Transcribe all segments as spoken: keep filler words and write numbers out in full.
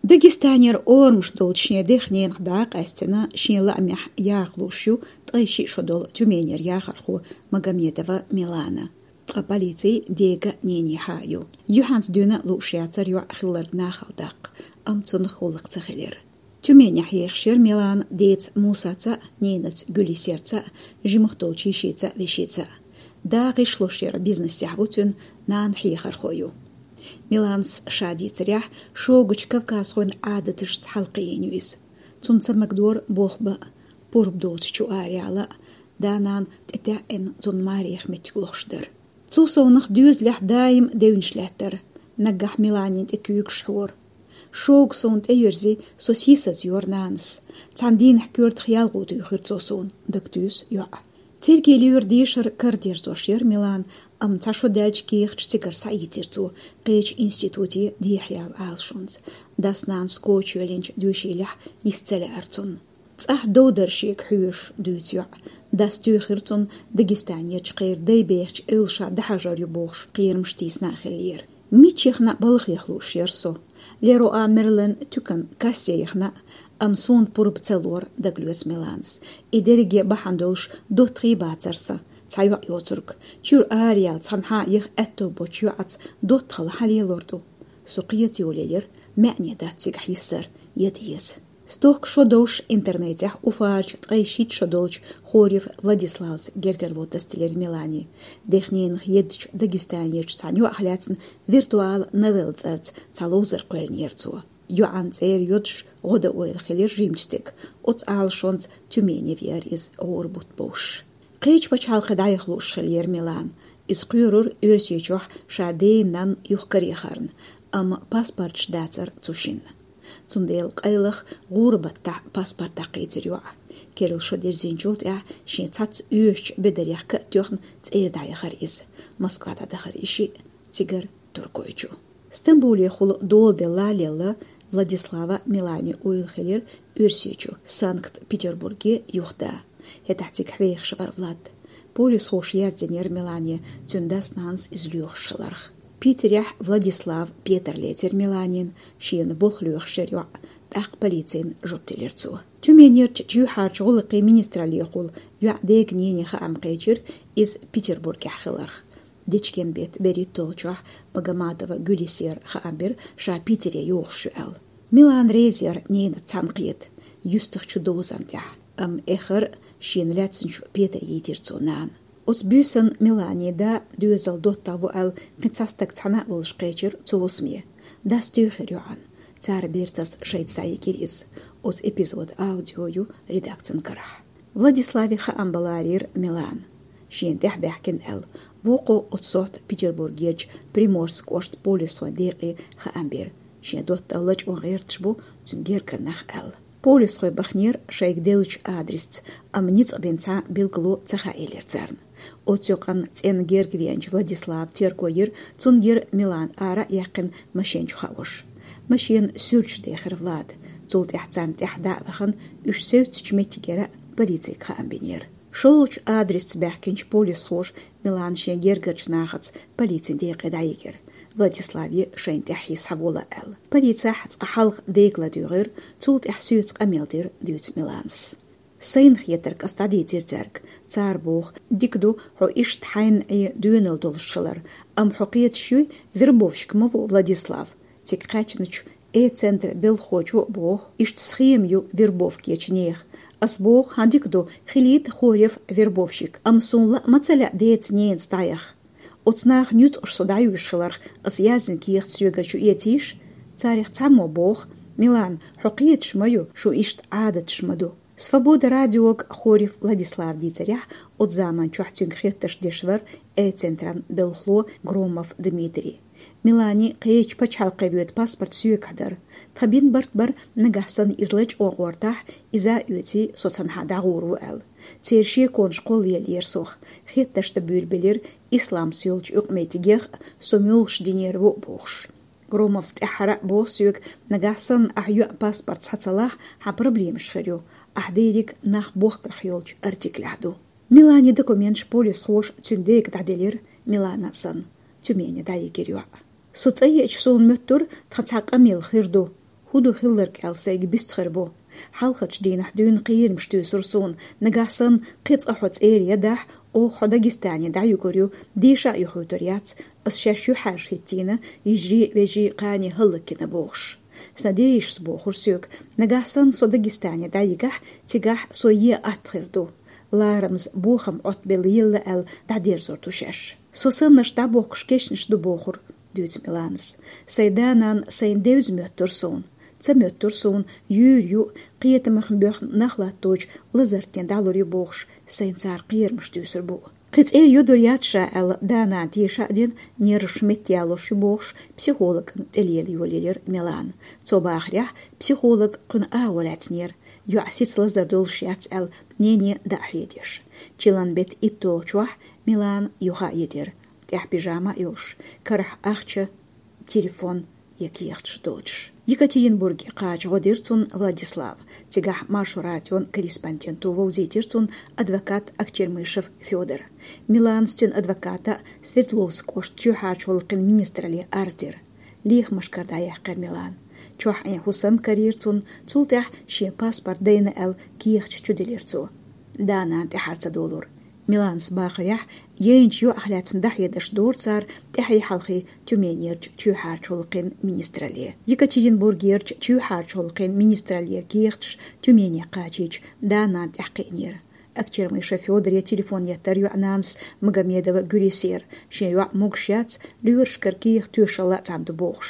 Дагестанера орамаш долчу шен дех-ненах дӀа а къаьстина, шен лаамехь яха лууш ю ткъе шиъ шо долу Тюменера яхархо Магомедова Милана. Ткъа полици дега а, нене хьа а ю. Юьхьанца дуьйна а лууш яцара йоӀ хилларг нахала даккха, амма цунах гӀуллакх ца хилира. Тюменехь ехаш яра Милана деца Мусаца а, ненаца Гуьлисерца а, жимах долчу йишица а, вешица а. Да гӀишлуш яра бизнесехь ву цуьнан, нана хьехархо ю. Миланас ша дийцарехь, шогачу кавказхойн Ӏадаташца хьалакхиийна ю иза. Цунна ца магадора болх бан а, пурба доцучу араяла а, да-нана тӀетаьӀӀина цунна маре меттиг лохуш дара. Цул совнах доьзалехь даим девнаш лаьттара, наггахь Миланина тӀе куьйгаш хьора. Шога суна тӀеверзи, со сийсаз йора нанас. Цхьана дийнахь коьртах ялхо туьйхира цо суна, дагатуьйсу йоӀа. Церге лоьра дешар карадерзош яра Милана, амма цхьа шо даьлча кехаташ цигара схьаийцира цо, кхечу институте дехьаяла Ӏалашонца. Дас-нанас коча йоьллинчу доьшийлехь йист ца лаьара цунна. ЦӀахь дов дара шега хьоьжуш, дуьйцу йоӀа. Дас туьйхира цунна Дагестанерчу кхеран дай бехачу эвлаша дӀахьажор ю бохуш, кхерамаш тийсина а хиллера. Мича яхана а балхах лууш яра со. Леруа Мерлен туькан кассе яхана а, амма суна пурба ца лора, дагалоьцу Миланас. И дерриге бахьана долуш доттагӀий бацара сан, цхьа йоӀ йоцург. Чуьра араяьлла цхьанхьа яха аьтто боцчу йоӀаца доттагӀалла хьан лелор ду? Со кхета йолаелира, маьӀне дац цигахь йиссар, яда еза. Стохка шо довш интернетехь Уфарчу ткъе шийтта шо долчу Хорев Владиславца гергарло тасделира Милани. Дех-ненах еддачу Дагестанерчу цхьана йоӀах лаьцна виртуал новелла цӀарца цхьа ловзар кхоьллинера цо. ЙоӀан цӀера йодуш гӀо дан ойла хилира жимачу стеган, оцу Ӏалашонца Тюмене веара иза гӀора бутт бовш. Кхечу пачхьалкхе дӀаяха лууш хиллера Милана. Иза кхоьрура Оьрсийчохь ша ден-нанна юхакараяхарна, амма паспорташ дацара цу шинна. Цундела къайлаха гӀуран баттахь паспорт дӀакхийцира йоӀа. Керла шо дирзинчул тӀаьхьа шен цхьацца оьшучу бедарех ка а тоьхна цӀера дӀаяхара иза. Москва дӀадахара и шиъ, цигара Туркойчу. Стамбулехула доладелла а лелла, Владислава Милани ойла хилира Оьрсийчу, Санкт-Петербурге юхада. ХӀетахь цига хьехаш вара Влад. Полисхоша яздинера Милане, цуьнан дас-нанас иза лоьхуш хиларх. Питерехь Владислав петар лецира Миланина, шена болх лоьхуш яра йоӀ, тӀаккха полицина жоп делира цо. Тюменерчу чоьхьарчу гӀуллакхийн министраллехула йоӀан дега-нене хаам кхечира иза Петербургехь хиларх. Дечкен-беттан берхӀитталгӀачохь Магомадова Гуьлисера хаам бира, ша Питере йогӀуш ю аьлла. Милана реза яра ненаца цхьаьна кхета, юьстахчу дозанна тӀехь, амма эххар а шена лаьцначу петаре йитира цо нана. Оцу буьйсанна Миланин да доьзалан доттагӀа ву аьлла кхин цхьа стаг цхьаьна а волуш кхечира цу хӀусаме. Дас туьйхира йоӀана. Цара бертас шайца дӀайигира иза. Оцу эпизодан аудио ю редакцин карахь. Владиславе хаам бан ларийра Милана, шена тӀаьхьа баьхкина аьлла. Вукхо оцу сохьта Петербургерчу Приморск кӀоштан полисхойн декъе хаам бира, шен доттагӀа лачкъон гӀерташ бу цуьнан гергара нах аьлла. Полисхой баханера шайга деллачу адресца, амма ницкъ бина цхьа билгало ца хаийлира царна. Оцу юкъанна цӀенна герга веанчу Владислава терго йира, цунна гира Милана ара а яьккхина машен чу хаош. Машена суьрташ дехира Влада. Цул тӀаьхьа царна тӀаьхьа дӀа а вахана, уьш севцачу меттигера полицига хаам бинера. ШолгӀачу адресца баьхкинчу полисхоша Милана шен гергарчу нахаца полицин декъе дӀайигира, Владиславе шайна тӀаьхьа схьавола аьлла. Полицехь цкъа хьалха дега ладуьйгӀира, цул тӀаьхьа соьца къамел дира, дуьйцу Миланас. Сайна хетарг ас дӀадийцира цаьрга. Цара боху, дика ду хьо иштта хьайна Ӏе доьналла долуш хилар, амма хьо кхеташ юй, вербовщик ма ву Владислав. Цига кхаьчначу Э-центран белхахочо а боху, иштта схема ю вербовкечу нехан. Ас боху, хьан дика ду, хилийта Хорев вербовщик, амма суна лаа ма ца лаьа деца-ненаца дӀаяха. Оцу наха нуьцкъаш со дӀаюьйш хиларх, ас яздина кехат соьгара чу эцийша? Царех цхьаммо боху: «Милана, хьо кхеташ ма ю, шун иштта Ӏадаташ ма ду». Свобода радиога Хорев Владислава дийцарехь, оцу заманчохь цуьнга хеттарш деш вара Э-центран белхало Громов Дмитрий. Милани кхечу пачхьалкхе воьду паспорт соьгахь дара. Тхан бина барт бара, нагахь санна иза лачкъон гӀортахь, иза а оьций, со цхьанхьа дӀагӀур ву аьлла. Церан шеконаш кхоллаеллера сох. Хеттарш дан буьйлабелира, исламс йолчу юкъаметтигех а со муьлхаш динера ву а бохуш. Громовс тӀаьххьара а боху соьга, нагахь санна ахь йоьӀан паспорт схьа ца лахь, хьан проблемаш хир ю, ахь дийриг нах бохкарх йолчу артиклехь ду. Миланин документаш полисхоша цуьнан дега дӀаделира, Милана санна, Тюмене дӀайигира йоӀ. Со цӀа еача суна моьттура, тхан цхьа къамел хир ду. «ХӀун ду хилларг аьлла сайга бицбар бу. Хьалхарчу дийнахь дуьйна кхерамаш туьйсура суна, нагахь санна кхин цкъа хьо цӀера ядахь, оха хьо Дагестане дӀаюьгур ю, деша а юхуьйтур яц, ас шаьш юьхьӀаьржа хӀиттийна, йижарий а, вежарий а кхане хӀаллакйина бохуш. Сан ден йишас бохура соьга, нагахь санна со Дагестане дӀайигахь, цигахь со е атта хир ду. Ларамаза бохам Ӏоттабелла елла аьлла дӀадерзор ду шаьш. Со саннарш дӀабохкуш кешнаш ду бохура», — дуьйцу Миланас. «Сайн да-нана сайна девза моьттура суна. Ца моьттура суна, юьйр ю, кхетамах боьхна нах латточу лазартане дӀалур ю бохуш, сайна цара кхерамаш туьйсур бу. Кхин цӀера йодур яц ша аьлла, да-нана теша а дина, нерваш меттаялуш ю бохуш, психологана тӀелела йолаелира Милана. Цо бахарехь, психолог кхуьнан агӀо лаьцнера. ЙоӀ сица лазар долуш яц аьлла, нене дӀа а хьедеш. Чиллан беттан итталгӀачохь Милана юха а йитира, тӀехь пижама а йолуш, карахь ахча, телефон я кехаташ доцуш». Екатеринбурге кхача гӀо дира цунна Владислава. Цигахь Маршо радион корреспонденто вовзийтира цунна адвокат Акчермышев Фёдор. Миланас цуьнан адвоката Свердловск кӀоштан чоьхьарчу гӀуллакхийн министралле арз дира. Лехамашкара дӀаяьккхира Милана. Чохь Ӏен хӀусам карийра цунна, цул тӀаьхьа шен паспорт дайна аьлла кехаташ чуделира цо. Да-нана тӀаьхьара ца долура. Миланас бахарехь, яйначу йоӀах лаьцна дӀахьедарш дора цара тӀаьхье-хьалхе Тюменерчу чоьхьарчу гӀуллакхийн министралле. Екатеринбургерчу чоьхьарчу гӀуллакхийн министраллера кехаташ Тюмене кхачийча, да-нана тӀаьхьакхиънера. Акчермышев Фёдоре телефон еттара йоӀ-нанас Магомедова Гуьресера, шен йоӀ могуш яц, лоьрашкара кехат тоьшалла а цхьаьна ду бохуш.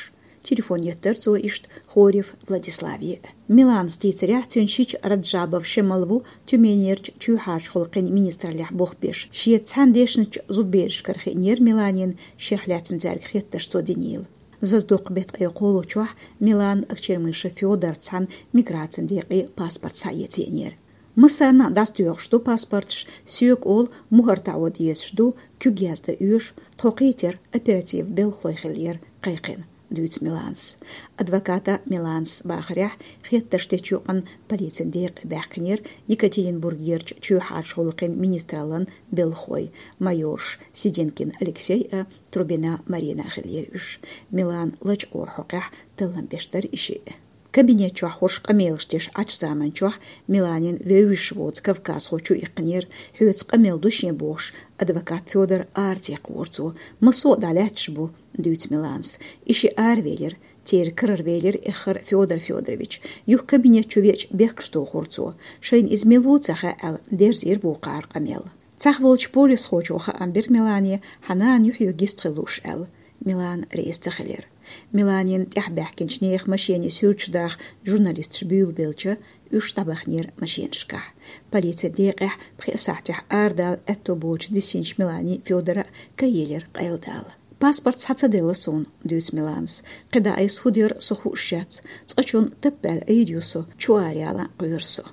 Телефон еттара цо иштта Хорев Владиславе а. Миланас дийцарехь, цуьнан шича Раджабов Шемал ву Тюменерчу чоьхьарчу гӀуллакхийн министраллехь болх беш. Шеца цхьаьна дешначу зудберашкара хиънера Миланина шех лаьцна цаьрга хеттарш цо динийла. Зазадоккху беттан ткъе кхоалгӀачохь Милана Акчермышев Фёдорца цхьаьна миграцин декъе паспорт схьаэца еанера. «Массарна а дӀасатоьхуш ду паспорташ, соьга олу, мухӀар таӀо дезаш ду, куьг яздан оьшу, тхо кхийтира оператив белхалой хиллера кхайкхина», — дуьйцу Миланас. Адвоката Миланас бахарехь, хеттарш дечу юкъана полицин декъе баьхкинера Екатеринбургерчу чоьхьарчу гӀуллакхийн министраллан белхалой, майораш Сиденкин Алексей а, Трубина Марина а хиллера уьш. Милана лачкъора хьокъехь таллам беш дара и шиъ. Кабинет чохь хӀорш къамелаш деш Ӏачу заман чохь Миланин вевзаш воцу кавказхо чу иккхинера, хьоьца къамел ду шен бохуш, адвокат Фёдор ара ца яккхавора цо. «Массо а дӀалаьтташ бу», — дуьйцу Миланас. И шиъ аравелира, церан карара велира эххар Фёдор Фёдорович. Юха кабинет чу веача бехкаш дохура цо. Шайна иза мила ву ца хаьа аьлла, дерзийра вукхара къамел. Цхьаьна волчу полисхочо хаам бира Милане, хьан нана юьхь-юьхь гиста хила лууш аьлла. Милана реза ца хилира. Миланина тӀаьхьабаьхкинчу нехан машене суьрташ даха журналисташ буьйлабелча, уьш дӀабахнера машенашкахь. Полицин декъехь пхи сахьтехь арадала аьтто боцуш дисинчу Милани Фёдора кхайелира къайладала. «Паспорт схьа ца делла суна», — дуьйцу Миланас. «КхидӀа айса хӀун дера со хууш яц. Цкъачунна таппаьлла Ӏийр ю со, чу ара яла кхоьру со».